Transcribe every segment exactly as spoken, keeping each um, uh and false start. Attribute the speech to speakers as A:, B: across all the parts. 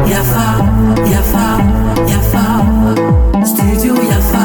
A: Yafa, yafa, yafa, studio Yafa.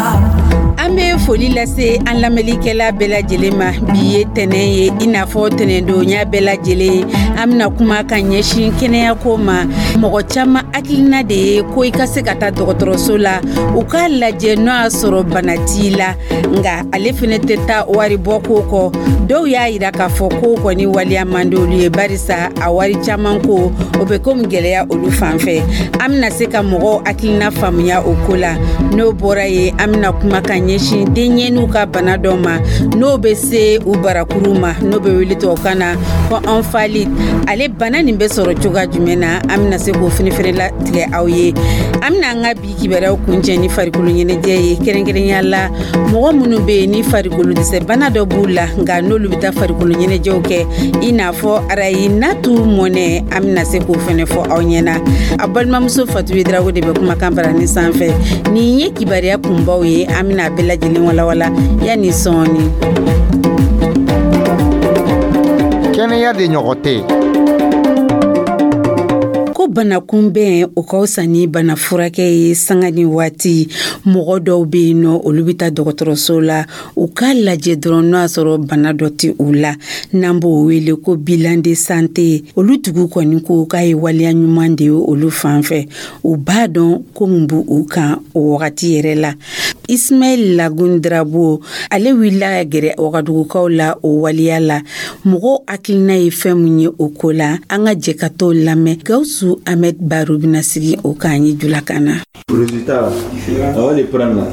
B: An bɛ foli lase an lamɛnlikɛla bɛɛ lajɛlen ma. Bi ye tɛnɛn ye, i n'a fɔ tɛnɛndonya bɛɛ lajɛlen, an bɛna kuma ka ɲɛsin kɛnɛyako ma. Mɔgɔ caman hakilina de ye ko i ka se ka taa dɔgɔtɔrɔso la, u k'a lajɛ n'o y'a sɔrɔ bana t'i la. Nka ale fɛnɛ tɛ taa wari bɔ ko kɔ. Dɔw y'a yira k'a fɔ ko kɔni waleya man di olu ye, barisa a wari caman ko o bɛ komi gɛlɛya olu fan fɛ. An bɛna se ka mɔgɔw hakilina faamuya o ko la. N'o bɔra yen, an bɛna kuma ka ɲɛsin denɲɛninw ka bana dɔ ma, n'o bɛ se u barakuru ma, n'o bɛ wele tubabukan na ko omphalite. Ale bana nin bɛ sɔrɔ cogoya jumɛn na? An bɛna se k'o fɛnɛ latigɛ aw ye. An bɛna an ka bi kibaruyaw kuncɛ ni farikolo ɲɛnajɛ ye, kɛrɛnkɛrɛnya la mɔgɔ minnu bɛ yen ni farikolo dɛsɛ bana dɔ b'u la, nka n'olu bɛ taa farikolo ɲɛnajɛw kɛ, i n'a fɔ Arayinatu Mɔnɛ. An bɛna se k'o fɛnɛ fɔ aw ɲɛna. A balimamuso Fatu Drago de bɛ kumakan barani sanfɛ. Nin ye kibaruya kunbaw ye, an bɛna a bɛɛ lajɛlen walawala yanni sɔɔni.
C: Kɛnɛya de ɲɔgɔn tɛ.
B: Ko bana kunbɛn, o ka fisa ni bana furakɛ ye. Sanga ni waati, mɔgɔ dɔw bɛ yen nɔ, olu bɛ taa dɔgɔtɔrɔso la, u k'a lajɛ dɔrɔn n'o y'a sɔrɔ bana dɔ tɛ u la, n'an b'o wele ko bilan de santé. Olu tigiw kɔni ko k'a ye waleya ɲuman de ye olu fan fɛ. U b'a dɔn ko mun b'u u kan o wagati yɛrɛ la. Ismaɛl Lagun Drabo, ale wulila ka gɛrɛ Wagadugukaw la o waleya la. Mɔgɔw hakilina ye fɛn mun ye o ko la? An ka jɛ ka t'o lamɛn. Gawusu Ahmed Baro bɛna sigi o kan ye julakan na.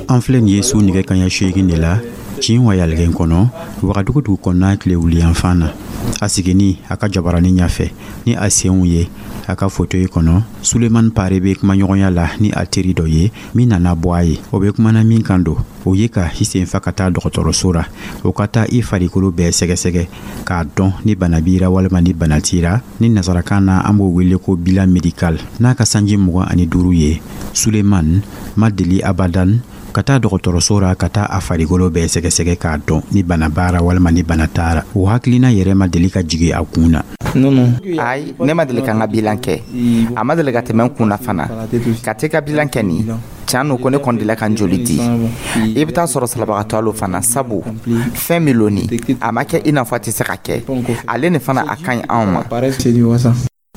D: An filɛ nin ye su nɛgɛ kaɲa seegin de la tin wayaligɛn kɔnɔ, Wagadugu dugu kɔnɔna tile wuliyanfan na. A sigini a ka jabaranin ɲɛfɛ ni a senw ye a ka fauteuil kɔnɔ, Suleman Pare bɛ kumaɲɔgɔnya la ni a teri dɔ ye min nana bɔ a ye. O bɛ kumana min kan don, o ye ka i sen fa ka taa dɔgɔtɔrɔso ra, o ka taa i farikolo bɛɛ sɛgɛsɛgɛ k'a dɔn ni bana b'i ra walima ni bana t'i ra. Ni nasarakan na, an b'o wele ko bilan médical. N'a ka sanji mugan ani duuru ye, Suleman ma deli abadan ka taa dɔgɔtɔrɔso ra ka taa a farikolo bɛɛ sɛgɛsɛgɛ k'a dɔn ni bana b'a ra walima ni bana t'a ra. O hakilina yɛrɛ ma deli ka jigi a kun na.
E: Ayi, ne ma deli ka n ka bilan kɛ. A ma deli ka tɛmɛ n kun na fana ka t'i ka bilan kɛ. Nin tiɲɛ no ko ne kɔni delila ka n joli di. I bɛ taa sɔrɔ salabagatɔ lo fana, sabu fɛn min lo nin, a ma kɛ i n'a fɔ a tɛ se ka kɛ. Ale nin fana, a ka ɲi anw ma.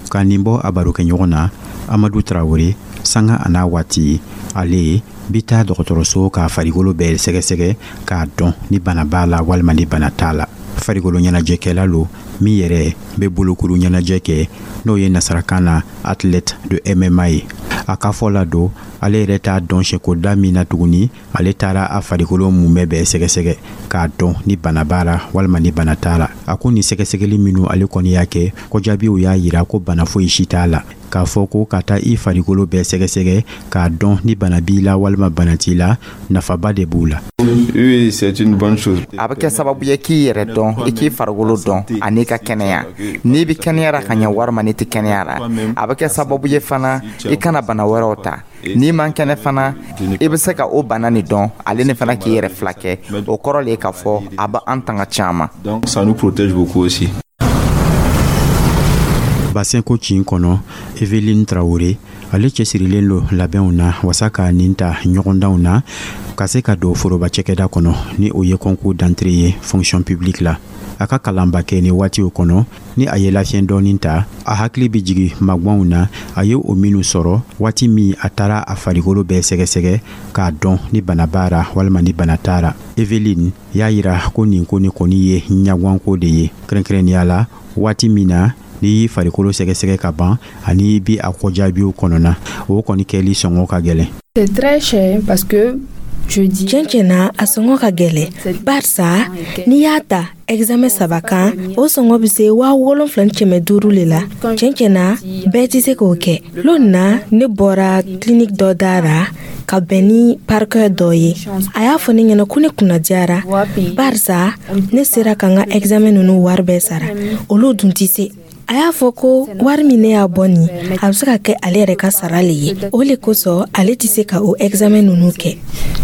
D: Ka nin bɔ a barokɛɲɔgɔn na Amadu Tarawele, sanga a n'a waati, ale bi taa dɔgɔtɔrɔso k'a farikolo bɛɛ sɛgɛsɛgɛ k'a dɔn ni bana b'a la walima ni bana t'a la. Farikolo ɲɛnajɛkɛla lo min yɛrɛ bɛ bolokuru ɲɛnajɛ kɛ, n'o ye nasarakan na athlète de M M A ye. A ka fɔ la don, ale yɛrɛ t'a dɔn sɛkoda min na tuguni ale taara a farikolo mumɛ bɛɛ sɛgɛsɛgɛ k'a dɔn ni bana b'a la walima ni bana t'a la. A ko nin sɛgɛsɛgɛli minnu ale kɔni y'a kɛ, ko jaabiw y'a yira ko bana foyi si t'a la. K'a fɔ ko ka taa i farikolo bɛɛ sɛgɛsɛgɛ k'a dɔn ni bana b'i la walima bana t'i la, nafaba de b'u la.
F: Oui, c'est une bonne chose.
E: A bɛ kɛ sababu ye k'i yɛrɛ dɔn, i k'i farikolo dɔn ani ka kɛnɛya, n'i bɛ kɛnɛyara ka ɲɛ walima n'i tɛ kɛnɛya la. A bɛ kɛ sababu ye fana i kana bana wɛrɛw ta. N'i man kɛnɛ fana, i bɛ se ka o bana nin dɔn, ale ni fana k'i yɛrɛ fila kɛ. O kɔrɔ le ye k'a fɔ a bɛ an tanga caman.
F: Donc ça nous protège beaucoup aussi.
D: Basɛnko cin kɔnɔ, Eveline Tarawele, ale cɛsirilen lo labɛnw na wasa ka nin ta ɲɔgɔndanw na ka se ka don foroba cɛkɛda kɔnɔ, ni o ye concours d'entrée ye fonction publique la. A ka kalanba kɛ ni waatiw kɔnɔ, ni a ye lafiɲɛ dɔɔni ta, a hakili bɛ jigi magwanw na a ye o minnu sɔrɔ waati min a taara a farikolo bɛɛ sɛgɛsɛgɛ k'a dɔn ni bana b'a ra walima ni bana t'a ra. Eveline y'a yira ko nin ko nin kɔni ye ɲagwanko de ye, kɛrɛnkɛrɛnnenya la waati min na n'i y'i farikolo sɛgɛsɛgɛ ka ban ani i bi a kɔjaabiw kɔnɔna, o kɔni kɛli sɔngɔ ka gɛlɛn.
G: C'est très cher parce que je dis.
H: Tiɲɛ tiɲɛ na, a sɔngɔ ka gɛlɛn, barisa n'i y'a ta examen saba kan, o sɔngɔ bɛ se waa wolonfila ni kɛmɛ duuru le la. Tiɲɛ tiɲɛ na, bɛɛ tɛ se k'o kɛ. Lon na, ne bɔra clinique dɔ da ra ka bɛn ni parquet dɔ ye. A y'a fɔ ne ɲɛna ko ne kunnadiyara, barisa ne sera ka n ka examen ninnu wari bɛɛ sara. Olu dun tɛ se. A y'a fɔ ko wari min ne y'a bɔ nin, a bɛ se ka kɛ ale yɛrɛ ka sara le ye. O le kosɔn ale tɛ se ka o examen ninnu kɛ.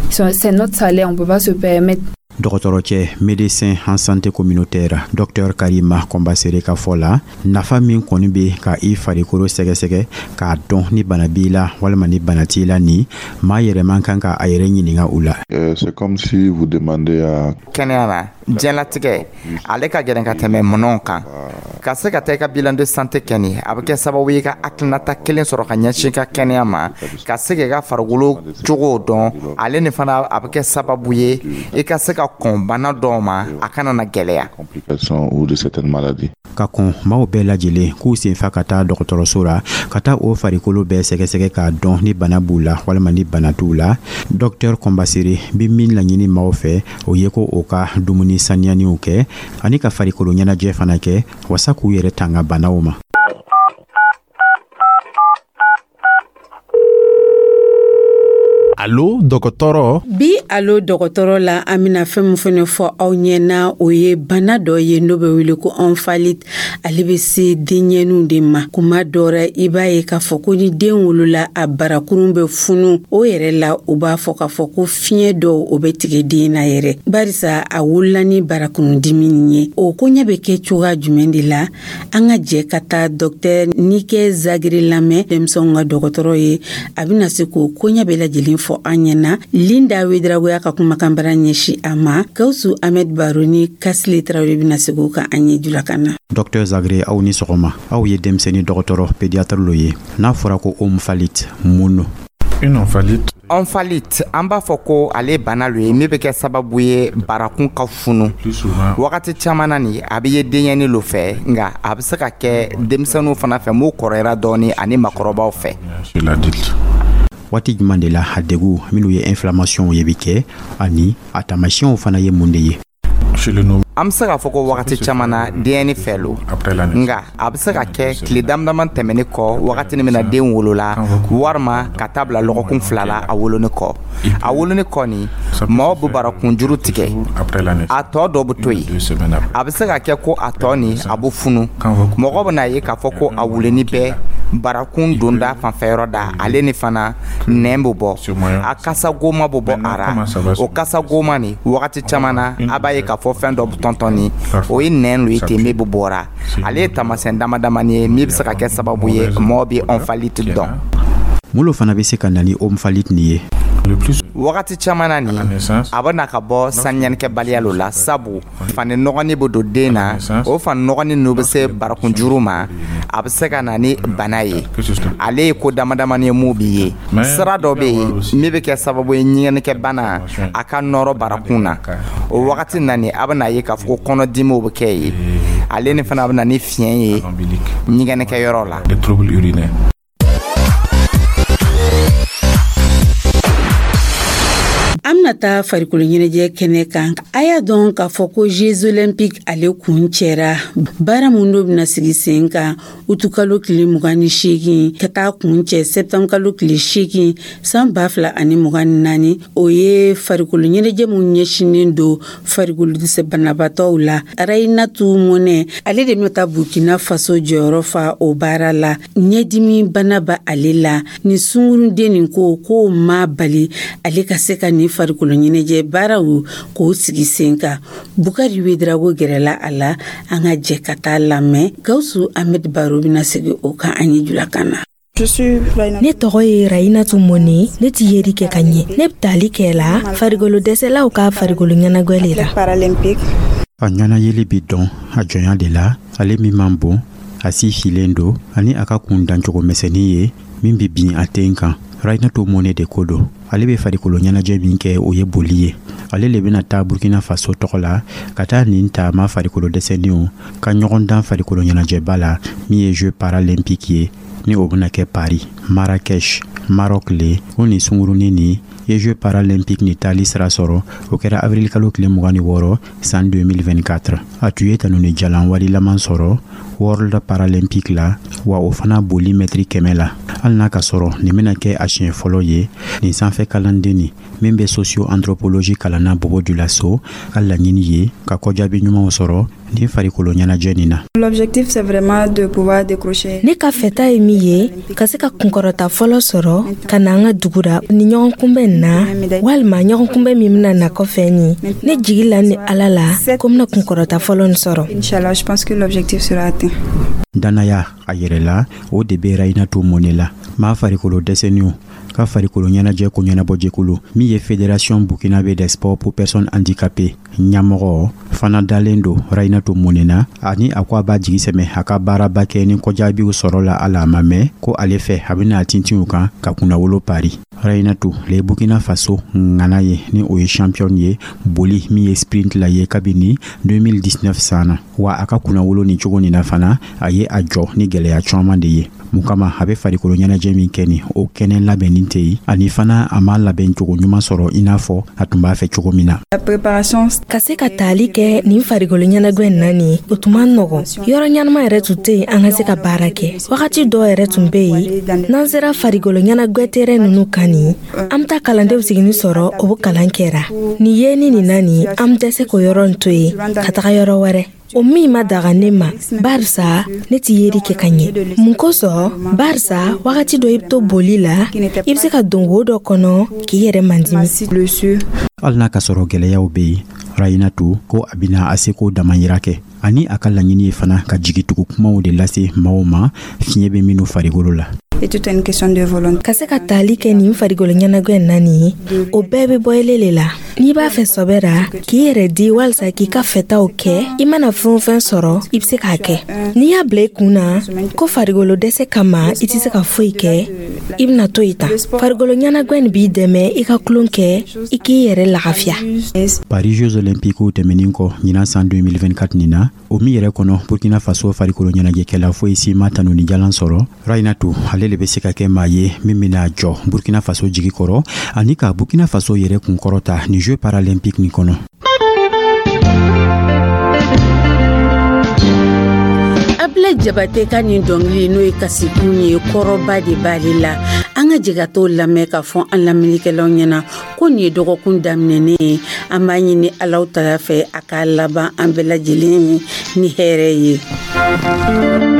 G: C'est notre salaire, on peut pas se permettre.
D: Dɔgɔtɔrɔcɛ, médecin en santé communautaire, docteur Karima Kɔnbasere ka fɔ la, nafa min kɔni bɛ ka i farikolo sɛgɛsɛgɛ k'a dɔn ni bana b'i la walima ni bana t'i la, ni maa yɛrɛ man kan ka a yɛrɛ ɲininka u la.
I: C'est comme si vous demandez à
E: Kɛnɛya na, diɲɛlatigɛ ale ka gɛlɛn ka tɛmɛ minɛnw kan. Ka se ka taa i ka bilan de santé kɛ, nin a bɛ kɛ sababu ye ka hakilinata kelen sɔrɔ ka ɲɛsin i ka kɛnɛya ma, ka se k'i ka farikolo cogo dɔn. Ale ni fana, a bɛ kɛ sababu ye i ka se ka kɔn bana dɔw ma, a kana na gɛlɛya.
I: Complications ou de certaines maladies.
D: Ka kɔn maaw bɛɛ lajɛlen k'u senfa ka taa dɔgɔtɔrɔso la, ka taa o farikolo bɛɛ sɛgɛsɛgɛ k'a dɔn ni bana b'u la walima ni bana t'u la, docteur Kɔnbasere bi min laɲini maaw fɛ, o ye ko o ka dumuni saniyaniw kɛ ani ka farikolo ɲɛnajɛ fana kɛ wasa k'u yɛrɛ tanga banaw ma.
J: Alo dɔgɔtɔrɔ.
B: Bi Alo dɔgɔtɔrɔ la, an bɛna fɛn min fɛnɛ fɔ aw ɲɛna, o ye bana dɔ ye n'o bɛ wele ko omphalite. Ale bɛ se denɲɛninw de ma. Kuma dɔ rɛ, i b'a ye k'a fɔ ko ni den wolola, a barakurun bɛ funu. O yɛrɛ la, u b'a fɔ k'a fɔ ko fiɲɛ dɔw o bɛ tigɛ den na yɛrɛ, barisa a wolola ni barakurundimi nin ye. O koɲɛ bɛ kɛ cogoya jumɛn de la? An ka jɛ ka taa dɔktɛr Nike Zagre lamɛn, denmisɛnw ka dɔgɔtɔrɔ ye. A bɛna se k'o koɲɛ bɛɛ lajɛlen fɔ an ɲɛna. Linda Wedragoya ka kumakan bara ɲɛsin a ma. Gawusu Ahmed Baro ni Kasile Tarawele bɛna segin o kan an ye julakan na.
D: Dr Zagre, aw ni sɔgɔma. Aw ye denmisɛnnin dɔgɔtɔrɔ, pédiatre lo ye. N'a fɔra ko omphalite, mun no?
J: Une omphalite.
E: Omphalite, an b'a fɔ ko ale bana lo ye min bɛ kɛ sababu ye barakun ka funu. Wagati caman na nin, a bɛ ye denyɛni lo fɛ, nka a bɛ se ka kɛ denmisɛnninw fana fɛ m'u kɔrɔyara dɔɔni, ani makɔrɔbaw fɛ.
D: Waati jumɛn de la a degu minnu ye inflammation ye bɛ kɛ, ani a taamasiyɛnw fana ye mun de ye?
E: An bɛ se k'a fɔ ko wagati caman na, denyɛni fɛ lo, nka a bɛ se ka kɛ tile damadama tɛmɛnen kɔ, wagati min na den wolola, walima ka taa bila lɔgɔkun fila la a wolonin kɔ. A wolonin kɔ nin, maaw bɛ barakunjuru tigɛ, a tɔ dɔ bɛ to yen. A bɛ se ka kɛ ko a tɔ nin, a bɛ funu. Mɔgɔ bɛ n'a ye k'a fɔ ko a wuleni bɛɛ barakun donda fanfɛyɔrɔ da, ale ni fana nɛn bɛ bɔ, a kasa goma bɛ bɔ a ra. O kasa goma nin, wagati caman na, a b'a ye k'a fɔ fɛn dɔ bɛ tɔntɔn, o ye nɛn lo ye ten min bɛ bɔra. Ale ye taamasiyɛn dama damani ye min bɛ se ka kɛ sababu ye mɔgɔ bɛ omphalite dɔn.
D: Mun lo fana bɛ se ka na ni omphalite nin ye?
E: Wagati caman na nin, a bɛ na ka bɔ saniyanikɛbaliya lo la, sabu fani nɔgɔnin bɛ don den na. O fani nɔgɔnin ninnu bɛ se barakunjuru ma, a bɛ se ka na ni bana ye. Ale ye ko dama damani ye mun b'i ye. Sira dɔ bɛ yen min bɛ kɛ sababu ye ɲɛgɛnnikɛ bana a ka nɔrɔ barakun na. O wagati na nin, a bɛ n'a ye k'a fɔ ko kɔnɔdimiw bɛ kɛ yen. Ale ni fana bɛ na ni fiɲɛ ye ɲɛgɛnnikɛyɔrɔ la.
B: An bɛna taa farikolo ɲɛnajɛ kɛnɛ kan. A y'a dɔn k'a fɔ ko Jeux olympiques ale kun cɛra. Baara mun dɔ bɛna sigi sen kan utukalo tile mugan ni seegin ka taa kun cɛ septembre kalo tile seegin san ba fila ani mugan ni naani, o ye farikolo ɲɛnajɛ mun ɲɛsinnen don farikolo dɛsɛ banabaatɔw la. Rayinatu Mɔnɛ, ale de bɛna taa Burkina Faso jɔyɔrɔ fa o baara la. Ɲɛdimi bana bɛ ale la. Ni sunkurunden nin ko k'o ma bali ale ka se ka nin farikolo ɲɛnajɛ baaraw k'o sigi sen kan. Bukari Wedrago gɛrɛla a la. An ka jɛ ka taa lamɛn. Gawusu Ahmed Baro bɛna segin o kan an ye julakan na.
H: Ne tɔgɔ ye Rayinatu Mɔne. Ne ti yeri kɛ ka ɲɛ. Ne bɛ tali kɛ la farikolo dɛsɛlaw ka farikolo ɲɛnajɛ le la.
D: A ɲɛnayeli bi dɔn a jɔnya de la. Ale min man bon, a si filen don, ani a ka kun dancogo misɛnnin ye min bɛ bin a ten kan. Rayinatu Mɔne de ko don. Ale bɛ farikolo ɲɛnajɛ min kɛ, o ye boli ye. Ale le bɛna taa Burkina Faso tɔgɔ la ka taa nin taama farikolo dɛsɛninw ka ɲɔgɔn dan farikolo ɲɛnajɛba la min ye Jeux paralympiques ye, ni o bɛna kɛ Paris, Marrakech, Maroc le. O nin sunkurunin nin ye Jeux paralympiques ni taali sira sɔrɔ, o kɛra avril kalo tile mugan ni wɔɔrɔ san deux mille vingt-quatre. A tun ye tanuni jalan warilaman sɔrɔ World Paralympic la, wa o fana boli mɛtiri kɛmɛ la. Hali n'a ka sɔrɔ nin bɛna kɛ a siɲɛ fɔlɔ ye, nin sanfɛ kalanden nin min bɛ socio anthropologie kalanna Bobo Dioulasso ka laɲini ye ka kɔjaabi ɲumanw sɔrɔ. Nin farikolo ɲɛnajɛ nin na.
G: L'objectif, c'est vraiment de pouvoir décrocher.
H: Ne ka fɛta ye min ye, ka se ka kunkɔrɔta fɔlɔ sɔrɔ ka na an ka dugu ra ni ɲɔgɔn kunbɛn na, walima ɲɔgɔn kunbɛn min bɛna na kɔfɛ nin. Ne jigi la ni Ala la ko n bɛna kunkɔrɔta fɔlɔ nin sɔrɔ.
G: Inch'Allah, je pense que l'objectif sera atteint.
D: Dannaya a yɛrɛ la, o de bɛ Rayinatu Mɔnɛ la. Maa farikolo dɛsɛniw ka farikolo ɲɛnajɛ ko ɲɛnabɔjɛkulu min ye Fédération burkinabé des sports pour personnes handicapées ɲɛmɔgɔ fana dalen don Rayinatu Mɔnɛ na, ani a ko a b'a jigi sɛmɛ a ka baaraba kɛ ni kɔjaabiw sɔrɔ la. A la a ma mɛn ko ale fɛ, a bɛna tintinw kan ka kunnawolo pari. Rayinatu le Burkina Faso ŋana ye, ni o ye champion ye boli min ye sprint la ye kabini deux mille dix-neuf san na. Wa a ka kunnawolo ni cogo nin na fana, a ye a jɔ ni gwɛlɛya caaman de ye. Mun kama a bɛ farikolo ɲɛnajɛ min kɛ nin, o kɛnɛ labɛnnin tɛ yen, ani fana a ma labɛn cogo ɲuman sɔrɔ i n'a fɔ a tun b'a fɛ cogo min na.
G: La préparation.
H: Ka se ka taali kɛ nin farikolo ɲɛnajɛ in na nin, o tun man nɔgɔn. Yɔrɔ ɲɛnama yɛrɛ tun tɛ yen an ka se ka baara kɛ. Wagati dɔw yɛrɛ tun bɛ yen, n'an sera farikolo ɲɛnajɛ terrain ninnu kan nin, an bɛ taa kalandenw sigini sɔrɔ, o bɛ kalan kɛra nin ye. Ni nin na nin, an bɛ dɛsɛ k'o yɔrɔ nin to yen ka taga yɔrɔ wɛrɛ, o min ma daga ne ma, barisa ne ti yeri kɛ ka ɲɛ. Mun kosɔn? Barisa wagati dɔ i bɛ to boli la, i bɛ se ka don wo dɔ kɔnɔ k'i yɛrɛ mandimi.
D: Hali n'a ka sɔrɔ gwɛlɛyaw bɛ yen, Rayinatu ko a bɛna a seko damayira kɛ, ani a ka laɲini ye fana ka jigitugu kumaw de lase maaw ma fiɲɛ bɛ minnu farikolo la.
G: Et tout est une question de volonté.
H: Ka se ka taali kɛ nin farikolo ɲɛnajɛ in na nin, o bɛɛ bɛ bɔ ele le la. N'i b'a fɛ sɔbɛ ra k'i yɛrɛ di walisa k'i ka fɛtaw kɛ, i mana fɛn o fɛn sɔrɔ, i bɛ se k'a kɛ. N'i y'a bila i kun na ko farikolo dɛsɛ kama i tɛ se ka foyi kɛ, i bɛna to yen tan. Farikolo ɲɛnajɛ nin b'i dɛmɛ i ka tulon kɛ, i k'i yɛrɛ lafiya.
D: Paris Jeux Olympiques tɛmɛnin kɔ ɲinan san deux mille vingt-quatre nin na, o min yɛrɛ kɔnɔ Burkina Faso farikolo ɲɛnajɛkɛla foyi si ma tanuni jalan sɔrɔ, Rayinatu ale de bɛ se ka kɛ maa ye min bɛna jɔ Burkina Faso jigi kɔrɔ, ani ka Burkina Faso yɛrɛ kunkɔrɔta ni Jeux paralympiques nin kɔnɔ.
B: Abilɛ Jabate ka nin dɔnkili, n'o ye kasikun ye, kɔrɔba de b'ale la. An ka jɛ ka t'o lamɛn k'a fɔ an lamɛnnikɛlaw ɲɛna ko nin ye dɔgɔkun daminɛnen ye. An b'a ɲini Alaw tala fɛ a k'a laban an bɛɛ lajɛlen ye ni hɛrɛ ye.